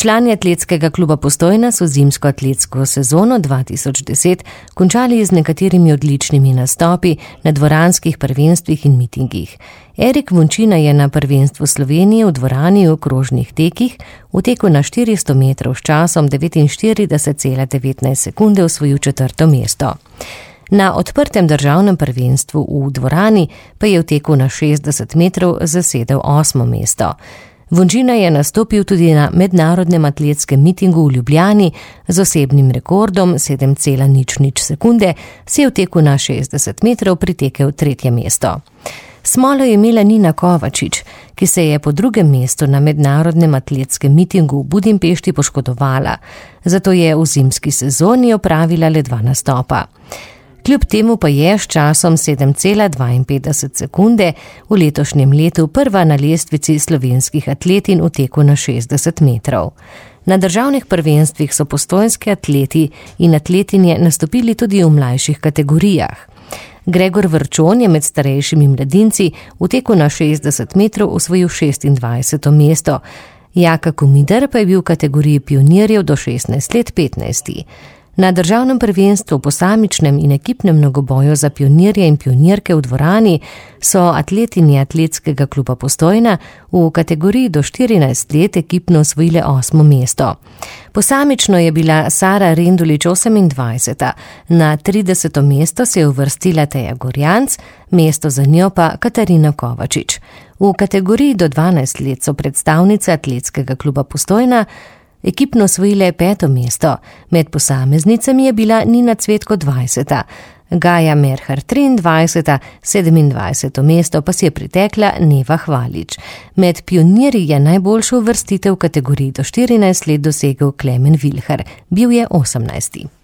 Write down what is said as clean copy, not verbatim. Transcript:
Člani atletskega kluba Postojna so zimsko atletsko sezono 2010 končali z nekaterimi odličnimi nastopi na dvoranskih prvenstvih in mitingih. Erik Vončina je na prvenstvu Slovenije v dvorani v krožnih tekih v teku na 400 metrov s časom 49,19 sekunde osvojil 4. mesto. Na odprtem državnem prvenstvu v dvorani pa je v teku na 60 metrov zasedel 8. mesto. Vončina je nastopil tudi na mednarodnem atletskem mitingu v Ljubljani z osebnim rekordom 7,00 sekunde, si je v teku na 60 metrov pritekel 3. mesto. Smolo je imela Nina Kovačič, ki se je po 2. mestu na mednarodnem atletskem mitingu v Budimpešti poškodovala, zato je v zimski sezoni opravila le 2 nastopa. Kljub temu pa je s časom 7,52 sekunde v letošnjem letu prva na lestvici slovenskih atletin v teku na 60 metrov. Na državnih prvenstvih so postojnski atleti in atletinje nastopili tudi v mlajših kategorijah. Gregor Vrčon je med starejšimi mladinci v teku na 60 metrov osvojil 26. mesto. Jaka Komider pa je bil v kategoriji pionirjev do 16 let 15. Na državnem prvenstvu posamičnem in ekipnem mnogoboju za pionirje in pionirke v dvorani so atletinje atletskega kluba Postojna v kategoriji do 14 let ekipno osvojile 8. mesto. Posamično je bila Sara Rendulič 28. Na 30. mesto se je uvrstila Teja Gorjanc, mesto za njo pa Katarina Kovačič. V kategoriji do 12 let so predstavnice atletskega kluba Postojna ekipno osvojile 5. mesto, med posameznicami je bila Nina Cvetko 20. Gaja Merhar 23. 27. mesto pa si je pritekla Neva Hvalič. Med pionirji je najboljšo uvrstitev v kategoriji do 14 let dosegel Klemen Vilhar, bil je 18.